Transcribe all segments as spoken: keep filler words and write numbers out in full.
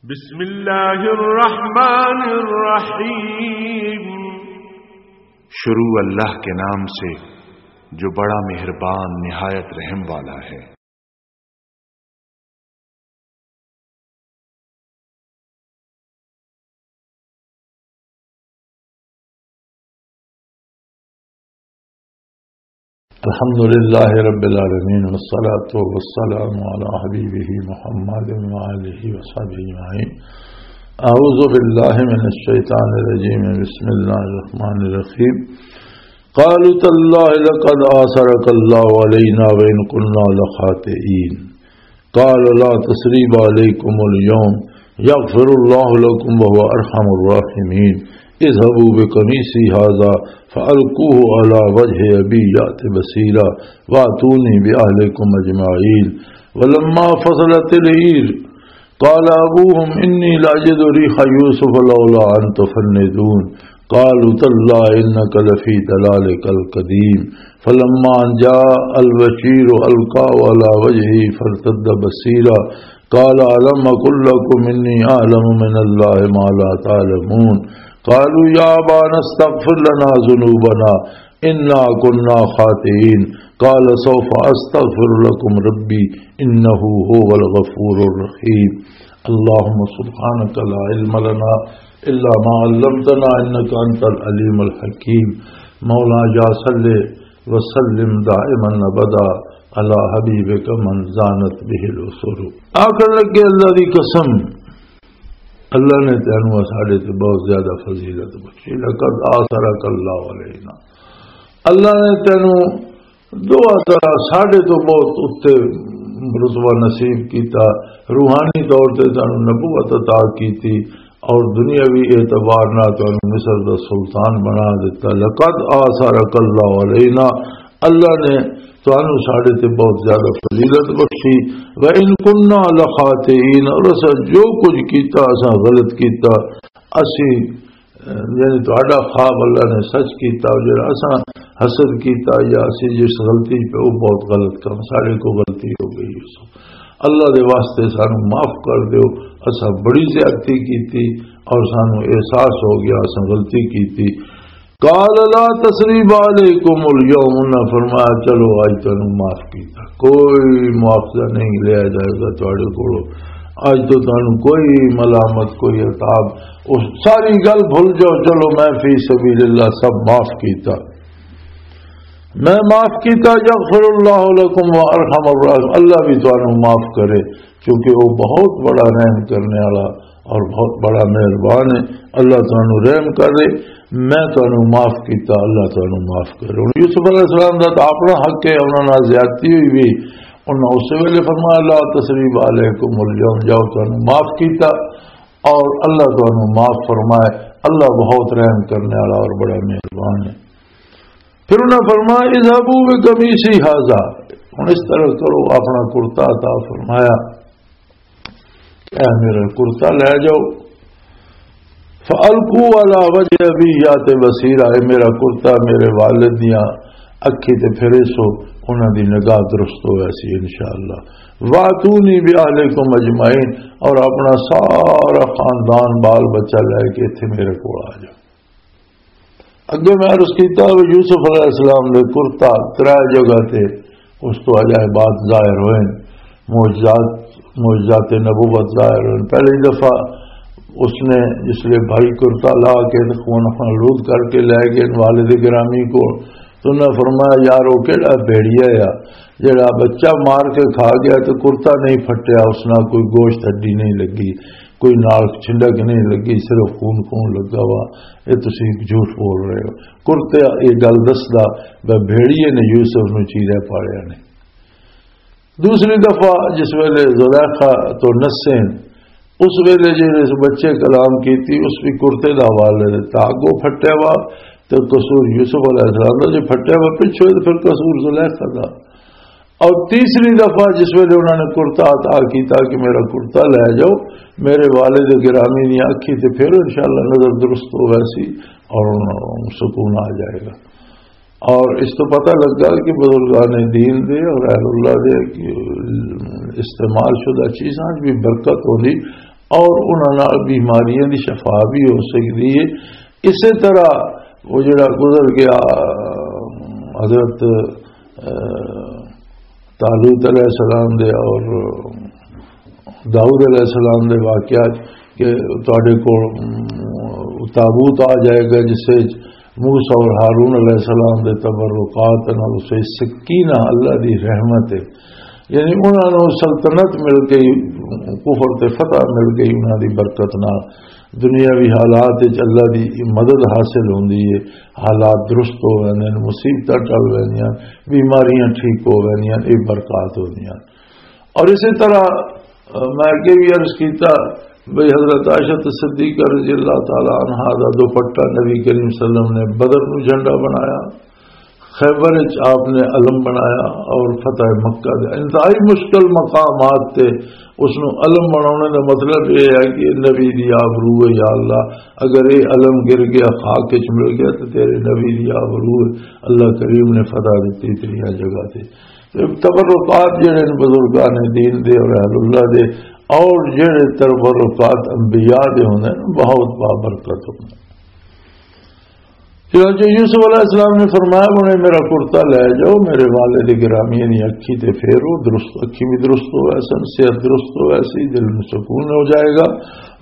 بسم اللہ الرحمن الرحیم۔ شروع اللہ کے نام سے جو بڑا مہربان نہایت رحم والا ہے۔ الحمد لله رب العالمين، والصلاة والسلام على حبيبه محمد وآله وصحبه أجمعين. أعوذ بالله من الشيطان الرجيم. بسم الله الرحمن الرحيم. قالوا تالله لقد آثرك الله علينا وإن كنا لخاطئين. قال لا تثريب عليكم اليوم يغفر الله لكم وهو أرحم الراحمين. اذهبوا بقميصي هذا فألقوه على وجه أبي يأت بصيرا وأتوني بأهلكم أجمعين. ولما فصلت العير قال أبوهم إني لأجد ريح يوسف لولا أن تفندون. قالوا تالله إنك لفي ضلالك القديم. فلما أن جاء البشير ألقاه على وجهه فارتد بصيرا قال ألم أقل لكم إني أعلم من الله ما لا تعلمون. قالوا يا أبانا استغفر لنا ذنوبنا إنا كنا خاطئين. قال سوف أستغفر لكم ربي إنه هو الغفور الرحيم. اللهم سبحانك لا علم لنا إلا ما علمتنا إنك أنت العليم الحكيم. مولا يا صل وسلم دائما أبدا على حبيبك من زانت به الأسر. آخر لگے اللہ دی قسم، اللہ نے تینوں ساڈے تے بہت زیادہ فضیلت بخشی۔ لقد آثرک اللہ علینا، اللہ نے تینوں دعا طرح ساڈے تو بہت اتے رتبہ نصیب کیتا، روحانی طور تے تینوں نبوت عطا کیتی اور دنیاوی اعتبار نال تینوں مصر دا سلطان بنا دیتا۔ لقد آثرک اللہ علینا، اللہ نے تانوں ساڈے تے بہت زیادہ فضیلت بخشی۔ وَإِن كُنَّا لَخَاطِئِينَ، اور اساں جو کچھ کیتا، اساں غلط کیتا، اسی، یعنی تہاڈا خواب اللہ نے سچ کیتا، اور جڑا اساں حسد کیتا یا اسی جس غلطی پہ، وہ بہت غلط کم، ساڈے کو غلطی ہو گئی۔ اللہ دے واسطے سانو معاف کر دیو، اساں بڑی زیادتی کیتی اور سانو احساس ہو گیا اساں غلطی کیتی۔ قال لا تثریب علیکم الیوم، انہاں فرمایا، چلو اج تانوں معاف کیتا، کوئی مواخذہ نہیں لیا جائے گا تواڈے کولوں، اج تو تانوں کوئی ملامت، کوئی عتاب، اس ساری گل بھول جاؤ، چلو میں فی سبیل اللہ سب معاف کیتا، میں معاف کیتا، یغفر اللہ لکم و ارحم الراحمین، اللہ بھی تانوں معاف کرے، کیونکہ وہ بہت بڑا رحم کرنے والا اور بہت بڑا مہربان ہے۔ اللہ تانوں رحم کرے، میں تانوں معاف کیتا، اللہ تانوں معاف کرے۔ ہن یوسف علیہ السلام دا تاں اپنا حق ہے، انہاں نال زیادتی ہوئی بھی، انہاں اس ویلے فرمایا، لا تثریب علیکم الیوم، جاؤ تانوں معاف کیتا اور اللہ تانوں معاف فرمائے۔ اللہ بہت رحم کرنے والا اور بڑا مہربان ہے۔ پھر انہاں فرمایا، اذهبوا بقميصي هذا، ہن اس طرح کرو، اپنا کرتا عطا فرمایا، اے میرا کرتا لے جاؤ، فَأَلْقُوهُ عَلَى وَجْهِ أَبِي يَأْتِ بَصِيرًا، اے میرا کرتا میرے والد دیاں اکھی تے پھرے سو، انہاں دی نگاہ درست ہوئے سی انشاءاللہ۔ وَأْتُونِي بِأَهْلِكُمْ أَجْمَعِينَ، اور اپنا سارا خاندان بال بچہ لے کے ایتھے میرے کول آ جاؤ۔ اگے میں عرض کیتا، وہ یوسف علیہ السلام دے کرتا ترے جگہ تے اس تو عجائبات ظاہر ہوئے، معجزات، معجزات نبوت ظاہر ہوئے۔ پہلی دفعہ اس نے جس لئے بھائی کرتا لا کے تے خون خون آلود کر کے لے گئے والد گرامی کو، تو انہاں فرمایا، یار، وہ کیڑا بھیڑیا آ، جڑا بچہ مار کے کھا گیا تے کرتا نہیں پھٹیا، اس نال کوئی گوشت ہڈی نہیں لگی، کوئی نال چھنڈک نہیں لگی، صرف خون خون لگا وا، اے تسی جھوٹ بول رہے ہو۔ کرتے اے گل دسدا، بھیڑیے نے یوسف نو چیرے پالیا نے۔ دوسری دفعہ جس ویلے زلیخا تو نسے، اس ویلے جڑے اس بچے کلام کیتی، اس بھی کرتے دا حوالے دتا، اگوں پھٹیا وا تے قصور یوسف علیہ السلام دا، جے پھٹیا وا پچھوں تے پھر قصور زلیخا دا۔ اور تیسری دفعہ جس ویلے انہوں نے کرتا عطا کیتا کہ میرا کرتا لے جاؤ، میرے والد گرامی دی اکھی تے پھر انشاءاللہ نظر درست ہو ویسی اور انہوں سکون آ جائے گا۔ اور اس تو پتہ لگا کہ بزرگان دین دے اور اہل اللہ دے استعمال شدہ چیزاں بھی برکت ہوندی۔ اور انہاں نال بیماریاں دی شفا بھی ہو سکدی ہے۔ اسی طرح وہ جڑا گزر گیا حضرت، آ، طالوت علیہ السلام دے اور داؤد علیہ السلام دے واقعات کہ تواڈے کول، ام، تابوت آ جائے گا جس وچ موسیٰ اور ہارون علیہ السلام دے تبرکات نال، اس وچ سکینہ، اللہ دی رحمت ہے۔ یعنی انہاں نوں سلطنت مل گئی، کفر تے فتح مل گئی انہاں دی برکت نال۔ دنیاوی حالات وچ اللہ دی مدد حاصل ہوندی ہے، حالات درست ہو ویندے نے، مصیبتاں ٹل ویندیاں، بیماریاں ٹھیک ہو ویندیاں، یہ برکات ہوندیاں۔ اور اسی طرح، آ، میں اگے بھی عرض کیتا بھئی حضرت عائشہ صدیقہ رضی اللہ تعالی عنہا دا دوپٹہ نبی کریم صلی اللہ علیہ وسلم نے بدر نو جھنڈا بنایا، خیبر وچ آپ نے علم بنایا، اور فتح مکہ دے انتہائی مشکل مقامات تے اس نو علم بنانے دا مطلب یہ ہے کہ نبی دی آبرو ہے، یا اللہ، اگر یہ علم گر گیا، خاک وچ مل گیا، تو تیرے نبی دی آبرو ہے، اللہ کریم نے فتح دتی تیریاں جگہ تے۔ تے تبرکات جڑے نے بزرگان دین دے اور اہل اللہ دے، اور جڑے تبرکات انبیاء دے ہوندے نے، بہت بابرکت ہوندے۔ چنانچہ یوسف علیہ السلام نے فرمایا، "انہیں میرا کرتا لے جاؤ، میرے والد گرامی دی اکھی تے پھیرو، درست، اکھی بھی درست ہو ایسا، صحت درست ہو ایسی، دل میں سکون ہو جائے گا۔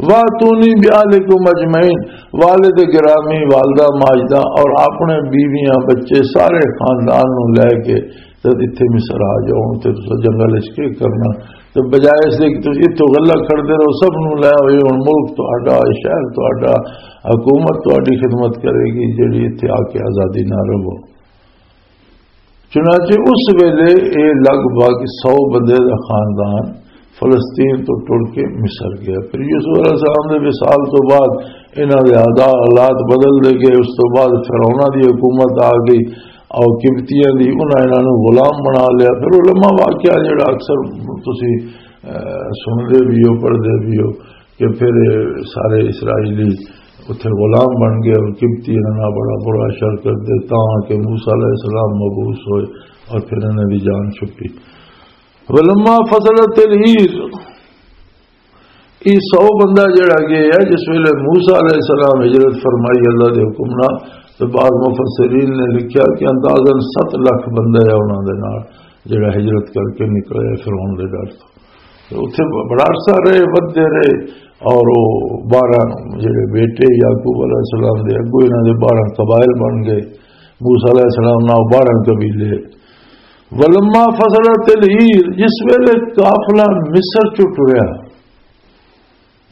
وَأْتُونِي بِأَهْلِكُمْ أَجْمَعِينَ۔" والد گرامی، والدہ ماجدہ اور اپنے بیویاں، بچے، سارے خاندان نو لے کے تے اتھے مصر آ جاؤ، تے تساں جنگل وچ کی کرنا؟ تے بجائے اس دے کہ تساں اتھوں غلہ کھڑدے رہو، سب نوں لے آؤ، یہ ہن ملک تہاڈا، یہ شہر تہاڈا، حکومت تہاڈی خدمت کرے گی، جڑی اتھے آ کے آزادی نہ رہو۔ چنانچہ اس ویلے یہ لگ بھگ سو بندے دا خاندان فلسطین تو ٹر کے مصر گیا۔ پھر یوسف علیہ السلام دے وصال تو بعد انہاں دے حالا-، حالات بدل دے گئے۔ اس تو بعد فرعوناں دی حکومت آ گئی اور قبطیاں دی، انہاں انہاں نوں غلام بنا لیا۔ پھر علماء واقعہ جڑا اکثر تسی، اہ، سن دے بھی ہو، پڑھ دے بھی ہو کہ پھر سارے اسرائیلی اتھے غلام بن گئے اور قبطی انہاں نال بڑا برا شر کر دے، تاں کہ موسیٰ علیہ السلام مبعوث ہوئے اور پھر انہاں دی جان چھٹی۔ ولما فصلت العیر، یہ سو بندہ جڑا گیا ہے، جس ویلے موسیٰ علیہ السلام ہجرت فرمائی اللہ دے حکم نال، تو بعض مفسرین نے لکھیا کہ اندازاً ست لکھ بندہ ہے انہاں دے نال، جڑا ہجرت کر کے نکلے فرعون دے ڈر تو۔ تو اتھے بڑا عرصہ رہے، ودھے رہے، اور وہ بارہ جڑے بیٹے یعقوب علیہ السلام دے، اگوں انہاں دے بارہ قبائل بن گئے، موسیٰ علیہ السلام نال بارہ قبیلے۔ ولما فصلت العیر، جس ویلے قافلہ مصر چ ٹریا،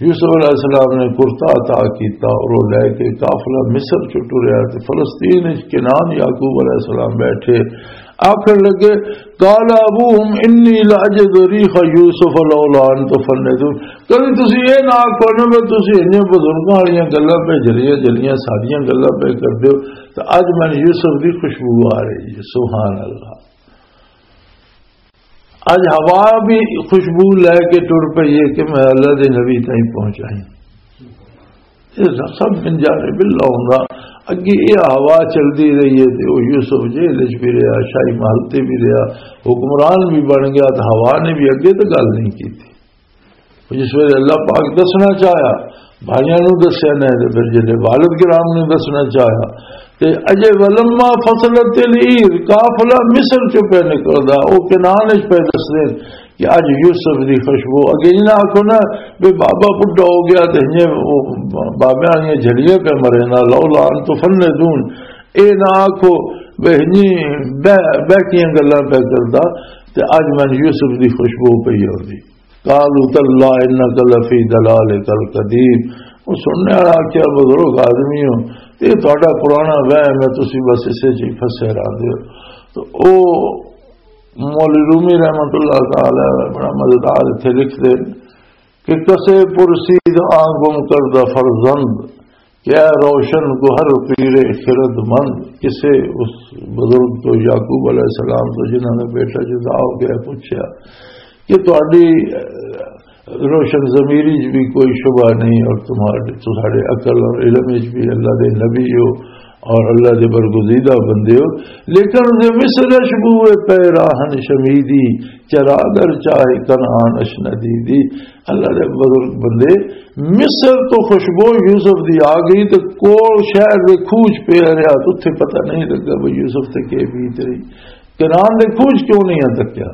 یوسف علیہ السلام نے کرتا عطا کیتا اور وہ لے کے قافلہ مصر چ ٹریا تے فلسطین وچ کنعان یعقوب علیہ السلام بیٹھے، آکھن لگے، "قال ابوهم انی لاجد ریح یوسف لولا ان تفندون۔" کبھی تسی یہ نہ آکھو نا بھی تسی انہیں بزرگاں والیاں گلاں پہ جلیاں جلیاں ساریاں گلاں پہ کر دیو، تو اج میں یوسف دی خوشبو آ رہی ہے۔ سبحان اللہ۔ اج ہوا بھی خوشبو لے کے ٹر پئی ہے کہ میں اللہ دے نبی تائیں پہنچائی۔ یہ سب من جانب اللہ ہوندا۔ اگے یہ ہوا چلدی رہی ہے تے او یوسف جیل وچ بھی رہیا، شاہی محل تے بھی رہیا، حکمران بھی بن گیا، تے ہوا نے بھی اگے تے گل نہیں کیتی۔ جس ویلے اللہ پاک دسنا چاہیا، بھائیاں نوں دسیا نے، تے پھر جلے والد کرام نوں دسنا چاہیا، تے اجے ولما فصلت العیر، قافلہ مصر چوں پہ نکلدا، او کنعان وچ پہ دسدے کہ اج یوسف دی خوشبو۔ اگے انہاں آکھو نا، بے بابا بڈھا ہو گیا تے ہنجے او بابیاں والیاں جھڑیاں پہ مرے نا، لولا ان تفندون۔ اے نہ آکھو بے ہنجی بہ-، بہکیاں گلاں پہ کردا، تے اج میں یوسف دی خوشبو پئی ہوندی۔ قالوا تاللہ انک لفی ضلالک القدیم۔ وہ سننے والا آکھیا، "بزرگ آدمی ہو، یہ تہاڈا پرانا وہم ہے، تسی بس اسے چ ہی پھسے رہندے ہو۔" تو او مولوی رومی رحمت اللہ تعالی علیہ بڑا مزیدار اتھے لکھدے کہ کسے پرسید آں گم کردہ فرزند، کیا روشن گوہر پیرے خرد مند، کسے اس بزرگ تو، یعقوب علیہ السلام تو، جنہاں دا بیٹا جدا ہو گیا، پوچھا کہ تہاڈی، اہ، روشن ضمیری وچ بھی کوئی شبہ نہیں اور تمہارے، تہاڈے عقل اور علم وچ بھی اللہ دے نبی ہو، اور اللہ دے برگزیدہ بندے ہو، لیکن دے مصر اش بوئے پے راہن شمیدی، چرا در چاہے کنعان اش ندیدی۔ اللہ دے بزرگ بندے، مصر تو خوشبو یوسف دی آ گئی تے کول شہر دے کھوج پہ رہیا، تو اتھے پتہ نہیں لگا بھئی یوسف تے کے بیت رہی، کنعان دے کھوج کیوں نہیں تکیا؟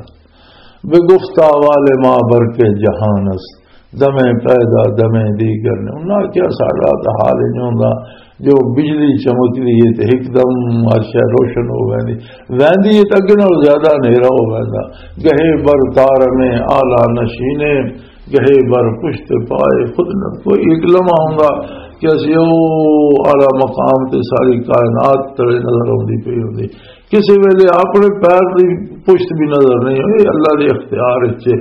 بے گفتہ والے ماں بر کے جہان است، دمے پیدا دمے دیگر نے۔ انہاں کیا ساڈا تاں حال انج ہوندا، جو بجلی چمکدی ہے تے ہک دم ہر شے روشن ہو ویندی، ویندی ہے تے اگے نال زیادہ ہنیرا ہو ویندا۔ گہے بر تار میں آلہ نشینے، گہے بر پشت پائے خود نہ۔ کوئی ایک لمحہ ہوندا کہ اسی او اعلیٰ مقام تے ساری کائنات تلے نظر آندی پئی ہوندی، کسی ویلے اپنے پیر دی پشت بھی نظر نہیں ہوئی، اللہ دے اختیار وچ ہے۔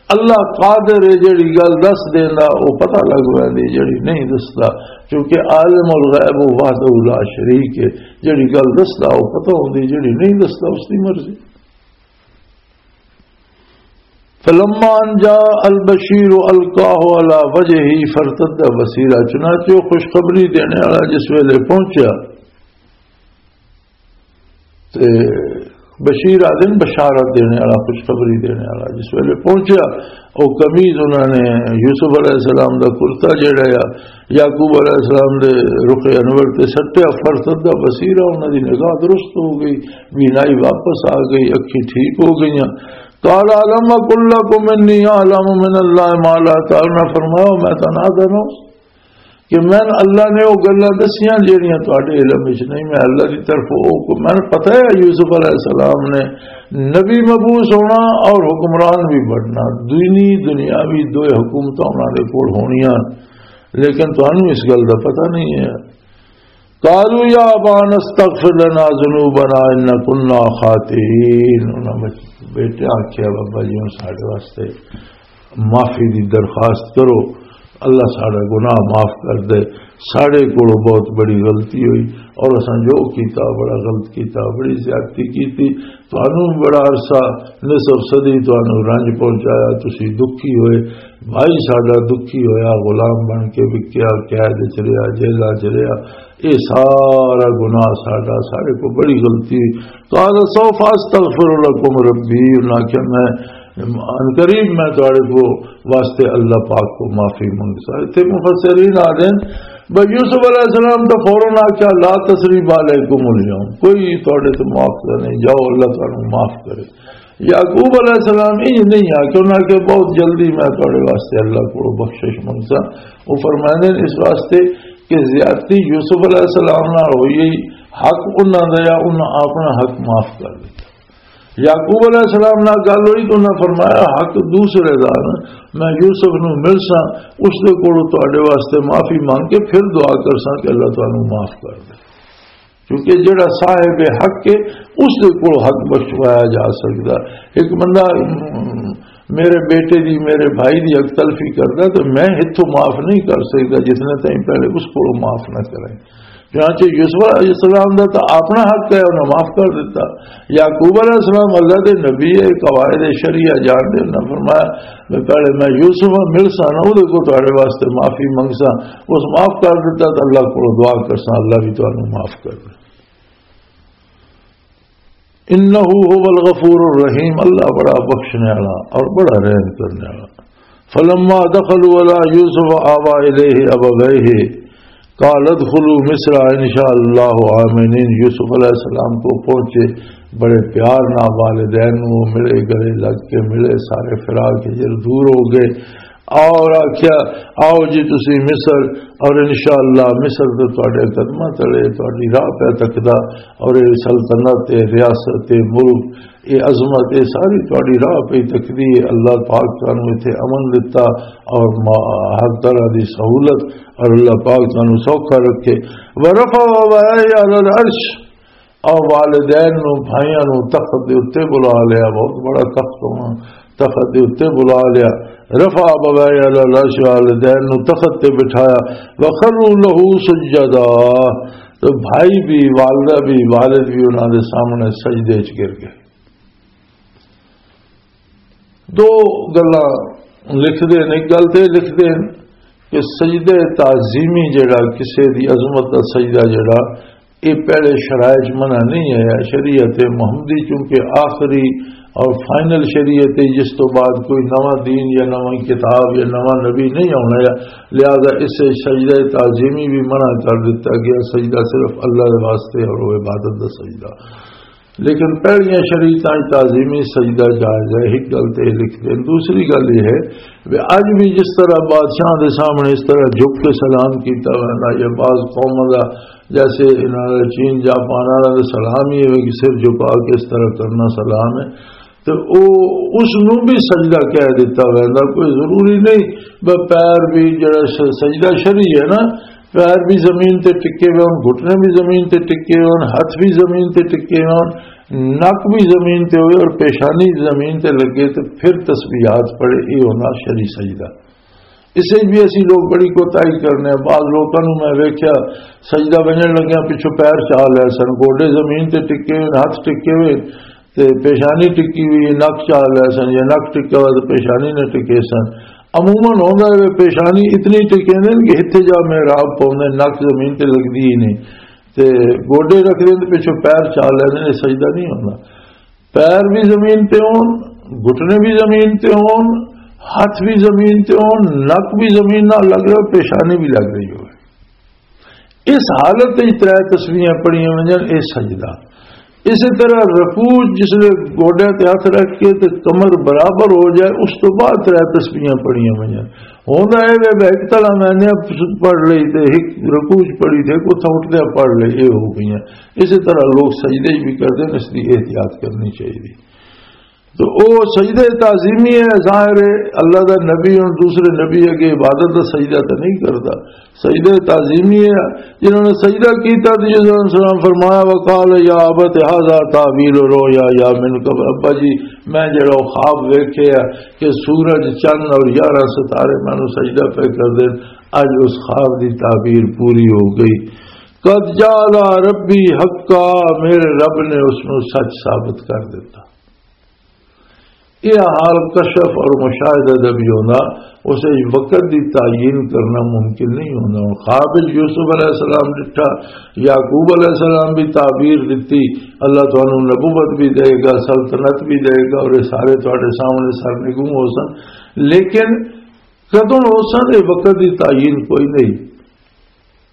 اللہ قادر ہے، جڑی گل دس دیندا، او پتہ لگ ویندی، جڑی نہیں دسدا، کیونکہ عالم الغیب وحدہ لا شریک ہے۔ جڑی گل دسدا، او پتہ ہوندی، جڑی نہیں دسدا، اس دی مرضی۔ فلما ان جاء البشیر القاه على وجهه فارتد بصيرا، چنانچہ وہ خوشخبری دینے والا جس ویلے پہنچیا، تے بشیر آدن بشارت دینے والا، خوشخبری دینے والا، جس ویلے پہنچیا، او قمیض انہاں نے یوسف علیہ السلام دا کرتا جڑا آ، یعقوب علیہ السلام دے رخ انور تے سٹیا، فرتد بصیرا، انہاں دی نگاہ درست ہو گئی، بینائی واپس آ گئی، اکھیں ٹھیک ہو گئیاں۔ قال الم اقل لكم انی اعلم من اللہ ما لا تعلمون، فرمایا میں تانوں آدھا نہ کہ میں، اللہ نے وہ گلاں دسیاں جہڑیاں تہاڈے علم وچ نہیں، میں اللہ دی طرف، وہ کو میں پتہ ہے یوسف علیہ السلام نے نبی مبعوث ہونا اور حکمران بھی بننا، دینی دنیاوی دوئے حکومتاں انہاں دے کول ہونیاں، لیکن تانوں اس گل دا پتہ نہیں ہے۔ قالوا یا ابانا استغفر لنا ذنوبنا ان كنا خاطئین۔ انہاں بچ-، بیٹے آکھیا، بابا جی، ہن ساڈے واسطے معافی دی درخواست کرو، اللہ ساڈا گناہ معاف کر دے، ساڈے کولوں بہت بڑی غلطی ہوئی اور اساں جو کیتا بڑا غلط کیتا، بڑی زیادتی کیتی، تانوں بڑا عرصہ، نصف صدی تانوں رنج پہنچایا، تسی دکھی ہوئے، بھائی ساڈا دکھی ہویا، غلام بن کے وکیا، قید وچ رہیا، جیلاں وچ رہیا، اے سارا گناہ ساڈا، ساڈے کو بڑی غلطی۔ قال سوف استغفر لكم ربی، انہاں آکھیا میں عنقریب میں تہاڈے کو واسطے اللہ پاک کو معافی منگسا۔ اتھے مفسرین آ دین بھئی یوسف علیہ السلام تو فوراً آکھیا لا تثریب علیکم الیوم، کوئی تہاڈے تے معاف نہیں، جاؤ اللہ تانوں معاف کرے۔ یعقوب علیہ السلام یہ نہیں آ کہ انہاں کہ بہت جلدی میں تہاڈے واسطے اللہ کو بخشش منگسا۔ وہ فرماندے نے اس واسطے کہ زیادتی یوسف علیہ السلام نال ہوئی، حق انہاں دا یا انہاں اپنا حق معاف کر دتا۔ یعقوب علیہ السلام نال گل ہوئی تو انہاں فرمایا حق دوسرے دا نا، میں یوسف نو ملساں، اس دے کولوں تہاڈے واسطے معافی مانگ کے پھر دعا کرساں کہ اللہ تانوں معاف کر دے۔ کیونکہ جڑا صاحب حق ہے، اس دے کول حق بخشوایا جا سکدا۔ ایک بندہ، م، میرے بیٹے دی، میرے بھائی دی حق تلفی کردا تو میں اتھوں معاف نہیں کر سکدا جتنے تائیں پہلے اس کول معاف نہ کرے۔ چنانچہ یوسف علیہ السلام دا تو اپنا حق ہے، انہاں معاف کر دیتا۔ یعقوب علیہ السلام اللہ دے نبی ہے، قواعد شریعہ جان دے، انہاں فرمایا، میں پہلے میں یوسف ہاں، مل سا نہ، اودے کو تہاڈے واسطے معافی منگ سا، اس معاف کر دیتا، تو اللہ کو دعا کر سا، اللہ بھی تانوں معاف کر دے۔ انہ هو الغفور الرحیم، اللہ بڑا بخشنے والا اور بڑا رحم کرنے والا۔ فلما دخلوا علی یوسف آوی الیہ ابویہ، قال ادخلوا مصر ان شاء اللہ آمنین۔ یوسف علیہ السلام کو پہنچے، بڑے پیار نہ والدین نو ملے، گلے لگ کے ملے، سارے فراق ہجر دور ہو گئے۔ اور آکھیا، آؤ جی تسی مصر، اور انشاءاللہ مصر تے تواڈے قدماں تلے تواڈی راہ پہ تکدا، اور اے سلطنت، اے ریاست، اے ملک، اے عظمت، اے ساری تواڈی راہ پہ ہی تکدی ہے۔ اللہ پاک تانوں ایتھے امن دتا اور ما-، ہر طرح دی سہولت، اور اللہ پاک تانوں سوکھا رکھے۔ ورفع ابویہ علی العرش، او والدین نو، بھائیاں نو تخت دے اُتے بلا لیا، بہت بڑا تخت ہونا، تخت دے اُتے بلا لیا۔ رفع ابویہ علی العرش، والدین نو تخت تے بٹھایا۔ وخروا لہ سجدا، تو بھائی بھی، والدہ بھی، والد بھی انہاں دے سامنے سجدے وچ گر گئے۔ دو گلاں لکھ دے نے، ایک گل تے لکھ دے نے کہ سجدے تعظیمی جڑا، کسے دی عظمت دا سجدہ جڑا، یہ پہلے شرائع چ منع نہیں آیا۔ شریعت محمدی چونکہ آخری اور فائنل شریعت ہے، جس تو بعد کوئی نواں دین یا نواں کتاب یا نواں نبی نہیں آنا ہے، لہذا اسے سجدہ تعظیمی بھی منع کر دیتا گیا۔ سجدہ صرف اللہ کے واسطے اور وہ عبادت دا سجدہ۔ لیکن پہلیاں شریعتاں وچ تعظیمی سجدہ جائز ہے، ایک گل تے لکھ دیں۔ دوسری گل یہ ہے کہ اج بھی جس طرح بادشاہ دے سامنے اس طرح جھک کے سلام کیتا ویندا یا بعض قوماں دا، جیسے انہاں دا چین جاپان والا دا سلام ہی ہے کہ سر جھکا کے اس طرح کرنا سلام ہے، تو او اس نوں بھی سجدہ کہہ دیتا ویندا۔ کوئی ضروری نہیں بس پیر بھی جڑا س-، سجدہ شرعی ہے نا، پیر بھی زمین تے ٹکے ہوئے ہون، گھٹنے بھی زمین تے ٹکے ہوئے ہون، ہاتھ بھی زمین تے ٹکے ہوئے ہون، نک بھی زمین تے ہوئے اور پیشانی زمین تے لگے تے پھر تسبیحات پڑھے، یہ ہونا شرعی سجدہ۔ اسے بھی اسی لوگ بڑی کوتاہی کرنے ہیں۔ بعض لوکاں نوں میں ویکھیا، سجدہ ونجن لگیا پچھوں پیر چا لے سن، گوڈے زمین تے ٹکے ہوئے، ہاتھ ٹکے ہوئے، تے پیشانی ٹکی ہوئی ہے، نک چا لے سن، یا نک ٹکا ہوا تے پیشانی نہ ٹکے سن۔ عموماً ہوندا ہے پیشانی اتنی ٹکے نے کہ اتھے جا محراب پاوندے، نک زمین تے لگدی ہی نہیں، تے گوڈے رکھ دے تے پچھوں پیر چا لیندے نے، سجدہ نہیں ہوندا۔ پیر بھی زمین تے ہون، گھٹنے بھی زمین تے ہون، ہاتھ بھی زمین تے ہون، نک بھی زمین نال لگ رہا، پیشانی بھی لگ رہی ہوئے، اس حالت وچ ترے تسبیحاں پڑھیاں ونجن، اے سجدہ۔ اسی طرح رکوع، جس لے گوڈے تے ہاتھ رکھ کے تے کمر برابر ہو جائے، اس تو بعد ترے تسبیحاں پڑھیاں ونجن۔ ہوندا اے وے، ایک تلا میں نے پڑھ لئی تے ایک رکوع چ پڑھی تے ایک اتھاں اٹھدے پڑھ لئی، اے ہو گئیاں۔ اسی طرح لوگ سجدے بھی کردے نے، اس دی احتیاط کرنی چاہیے۔ تو او سجدہ تعظیمی ہے، ظاہر ہے اللہ دا نبی اور دوسرے نبی اگے عبادت دا سجدہ تو نہیں کرتا، سجدہ تعظیمی ہے۔ جنہوں نے سجدہ کیتا تو یوسف علیہ السلام فرمایا، "وقال یا ابت ھذا تاویل رؤیا من قبل۔" ابا جی، میں جڑا وہ خواب ویکھے ہے کہ سورج، چند اور گیارہ ستارے مینوں سجدہ پہ کر دین، اج اس خواب دی تعبیر پوری ہو گئی۔ قد جعل ربی حقا، میرے رب نے اس نوں سچ ثابت کر دیتا۔ یہ حال کشف اور مشاہدہ دا بھی ہونا، اسے وقت دی تعین کرنا ممکن نہیں ہونا۔ ہن خواب وچ یوسف علیہ السلام ڈٹھا، یعقوب علیہ السلام بھی تعبیر دتی، اللہ تانوں نبوت بھی دے گا، سلطنت بھی دے گا، اور یہ سارے تواڈے سامنے سر نگوں ہو سن، لیکن کدوں ہو سن، یہ وقت دی تعین کوئی نہیں۔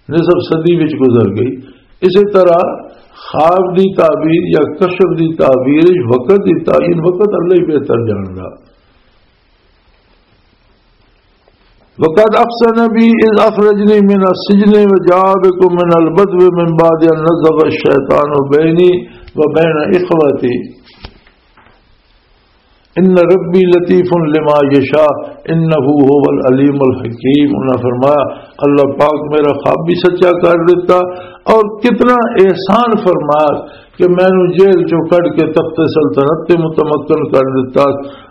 نصف صدی وچ گزر گئی۔ اسی طرح خواب دی تعبیر یا کشف دی تعبیر وچ وقت دی تعین وقت اللہ ہی بہتر جاندا۔ وقد احسن بی اذ اخرجنی من السجن وجاء بکم من البدو من بعد ان نزغ الشیطان بینی وبین اخوتی۔ ان ربی لطیف لما یشاء، انہ هو العلیم الحکیم۔ انہاں فرمایا، اللہ پاک میرا خواب بھی سچا کر دیتا اور کتنا احسان فرمایا کہ مینوں جیل چوں کڈ کے تخت سلطنت تے متمکن کر دیتا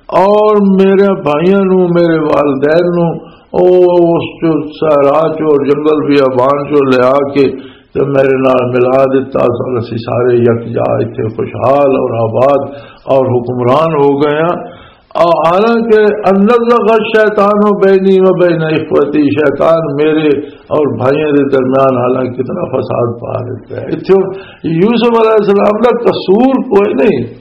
اور میرے بھائیاں نوں، میرے والدین نوں او اس چوں صحرا چوں اور جنگل بیابان چوں لیا کے تے میرے نال ملا دتا، سن اسی سارے یکجا اتھے خوشحال اور آباد اور حکمران ہو گئے ہاں۔ اور حالانکہ ان نزغ الشیطان بینی و بین اخوتی، شیطان میرے اور بھائیوں دے درمیان حالانکہ کتنا فساد پا دیتا ہے۔ اتھے یوسف علیہ السلام دا قصور کوئی نہیں،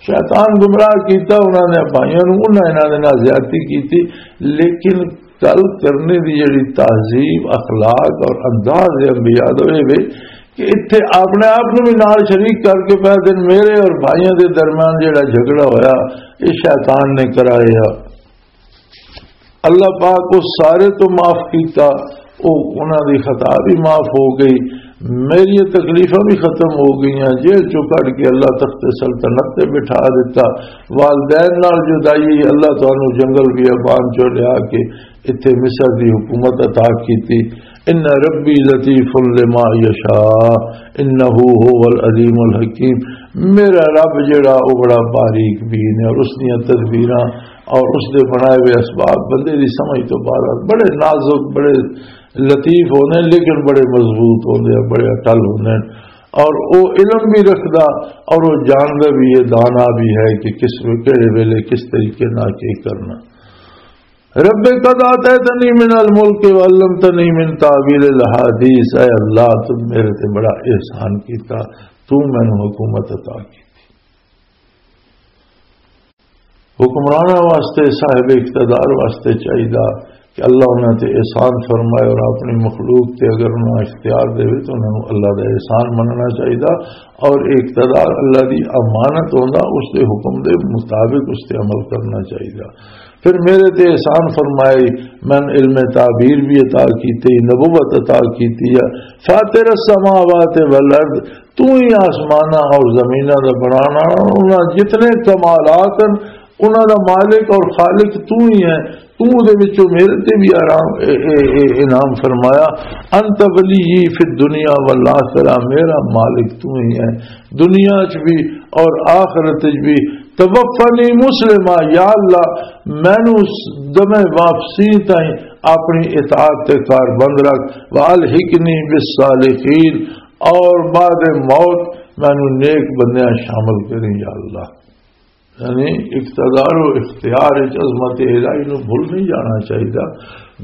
شیطان گمراہ کیتا انہاں نے بھائیاں نوں، انہاں انہاں دے نال زیادتی کیتی، لیکن گل کرنے دی جڑی تہذیب، اخلاق اور انداز ہے انبیاء دا، اے وے کہ اتھے اپنے آپ نوں بھی نال شریک کر کے پہ دن میرے اور بھائیاں دے درمیان جڑا جھگڑا ہویا، یہ شیطان نے کرایا۔ اللہ پاک اس سارے تو معاف کیتا، او انہاں دی خطا بھی معاف ہو گئی، میری تکلیفاں بھی ختم ہو گئیاں، جیل چوں کڈ کے اللہ تخت سلطنت تے بٹھا دیتا، والدین نال جدائی، اللہ تانوں جنگل بیابان چوں لیا کے اتھے مصر دی حکومت عطا کیتی۔ ان ربی لطیف لما یشاء، انہ هو العلیم الحکیم۔ میرا رب جڑا، او بڑا باریک بین ہے اور اس دیاں تدبیراں اور اس دے بنائے ہوئے اسباب بندے دی سمجھ تو باہر، بڑے نازک، بڑے لطیف ہوندے ہیں، لیکن بڑے مضبوط ہوندے ہیں، بڑے اٹل ہوندے ہیں۔ اور وہ علم بھی رکھدا اور وہ جاندا بھی ہے، دانا بھی ہے کہ کس وے-، کہڑے ویلے کس طریقے نال کی کرنا۔ رب قد آتیتنی من الملک وعلمتنی من تاویل الحدیث، اے اللہ، تو میرے تے بڑا احسان کیتا، تو مینوں حکومت عطا کیتی۔ حکمراناں واسطے، صاحب اقتدار واسطے چاہیدا کہ اللہ انہاں تے احسان فرمائے، اور اپنی مخلوق تے اگر انہاں اختیار دے تو انہاں نوں اللہ دا احسان مننا چاہیدا، اور اقتدار اللہ دی امانت ہوندا، اس دے حکم دے مطابق اس تے عمل کرنا چاہیدا۔ پھر میرے تے احسان فرمائے، میں علم تعبیر بھی عطا کیتی، نبوت عطا کیتی ہے۔ فاطر السماوات والارض، تو ہی آسماناں اور زمیناں دا بنانا، انہاں جتنے کمالات ہیں، انہاں دا مالک اور خالق تو ہی ہے۔ تو دے وچوں میرے تے بھی آرام، اے، اے، اے، انعام فرمایا۔ انت ولی فی الدنیا والآخرہ، میرا مالک تو ہی ہے دنیا چ بھی اور آخرت چ بھی۔ توفنی مسلمہ، یا اللہ، مینوں دمے واپسی تائیں اپنی اطاعت تے کار بند رکھ۔ والحقنی بالصالحین، اور بعد موت مینوں نیک بندیاں شامل کریں، یا اللہ۔ یعنی اقتدار و اختیار وچ عظمت الہی نو بھول نہیں جانا چاہیدا،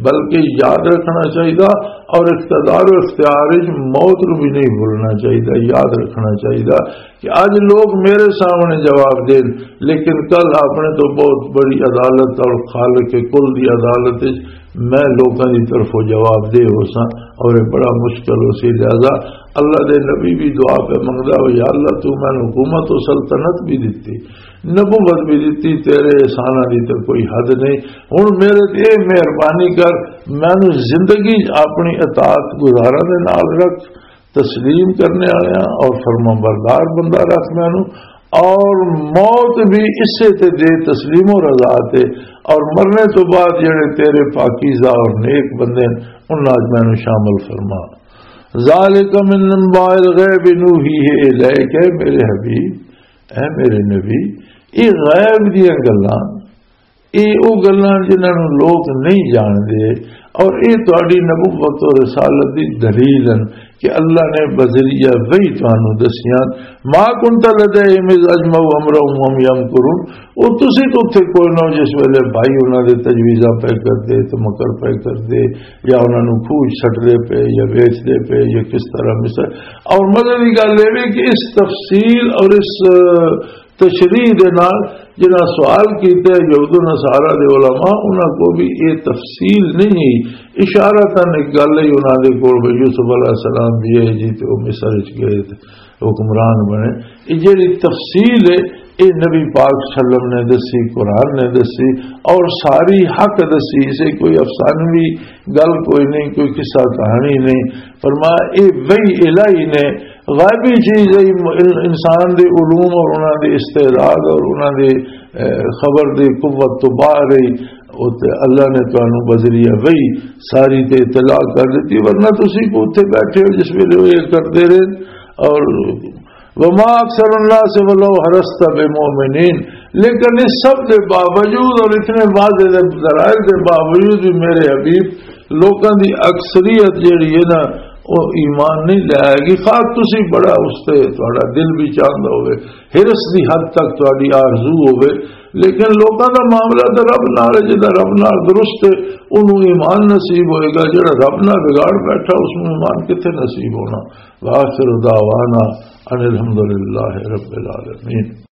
بلکہ یاد رکھنا چاہیدا۔ اور اقتدار و اختیار وچ موت نو بھی نہیں بھولنا چاہیدا، یاد رکھنا چاہیدا کہ اج لوگ میرے سامنے جواب دین، لیکن کل اپنے تو بہت بڑی عدالت اور خالق کل دی عدالت وچ میں لوکاں دی طرفوں جواب دہ ہو ساں، اور یہ بڑا مشکل ہو سی۔ لہذا اللہ دے نبی بھی دعا پہ منگدا ہو، یا اللہ، تو مینوں حکومت و سلطنت بھی دتی، نبوت بھی دتی، تیرے احساناں دی تے کوئی حد نہیں۔ ہن میرے تے اے مہربانی کر، مینوں زندگی اپنی اطاعت گزاراں دے نال رکھ، تسلیم کرنے والے اور فرما بردار بندہ رکھ مینوں، اور موت بھی اسے تے دے، تسلیم و رضا تے، اور مرنے تو بعد جڑے تیرے پاکیزہ اور نیک بندے ہیں، انہاں وچ مینوں شامل فرما۔ ذالک من انباء الغیب نوحیہ الیک، اے میرے حبیب، اے میرے نبی، یہ غیب دیاں گلاں، یہ وہ گلاں جنہاں نوں لوگ نہیں جاندے، اور یہ تہاڈی نبوت و رسالت دی دلیل ہیں کہ اللہ نے بذریعہ وحی تانوں دسیاں۔ ما کنت لدیہم اذ اجمعوا امرهم وهم یمکرون، وہ تسی تو اتھے کوئی نہ ہو جس ویلے بھائی انہاں دے تجویزاں پہ کردے، تمکر پہ کردے، یا انہاں نوں کھوج سٹدے پے یا ویچدے پے یا کس طرح مثال۔ اور مزے دی گل یہ بھی کہ اس تفصیل اور اس تشریح دے نال جنہاں سوال کیتے یہود و نصارہ دے علماء، انہاں کو بھی یہ تفصیل نہیں، اشارتاً ایک گل ہی انہاں دے کول بھی یوسف علیہ السلام بھی ہے جی، تے وہ مصر وچ گئے تے حکمران بنے۔ یہ جڑی تفصیل ہے، یہ نبی پاک صلی اللہ علیہ وسلم نے دسی، قرآن نے دسی، اور ساری حق دسی، اسے کوئی افسانوی گل کوئی نہیں، کوئی قصہ کہانی نہیں۔ فرمایا، یہ وحی الہی نے، غیبی چیز ہے، ان-، انسان دے علوم اور انہاں دے استعداد اور انہاں دے، اے، خبر دی قوت تو باہر ہے۔ او تے اللہ نے تانوں بذریعہ وحی ساری تے اطلاع کر دیتی، ورنہ تسی کو اتھے بیٹھے ہو جس ویلے وہ یہ کرتے رہے۔ اور وما اکثر الناس ولو حرصت بمؤمنین، لیکن اس سب کے باوجود اور اتنے واضح دے دلائل کے باوجود بھی میرے حبیب، لوکاں دی اکثریت جیڑی ہے نا، وہ ایمان نہیں لے آئے گی۔ خواہ تسی بڑا اس تے تہاڈا دل بھی چاہتا ہوئے، حرص دی حد تک تہاڈی آرزو ہوئے، لیکن لوکاں دا معاملہ تے رب نال ہے، جدا رب نال درست ہے، انہوں ایمان نصیب ہوئے گا۔ جڑا رب نال بگاڑ بیٹھا، اس نوں ایمان کتھے نصیب ہونا؟ وآخر دعوانا ان الحمدللہ رب العالمین۔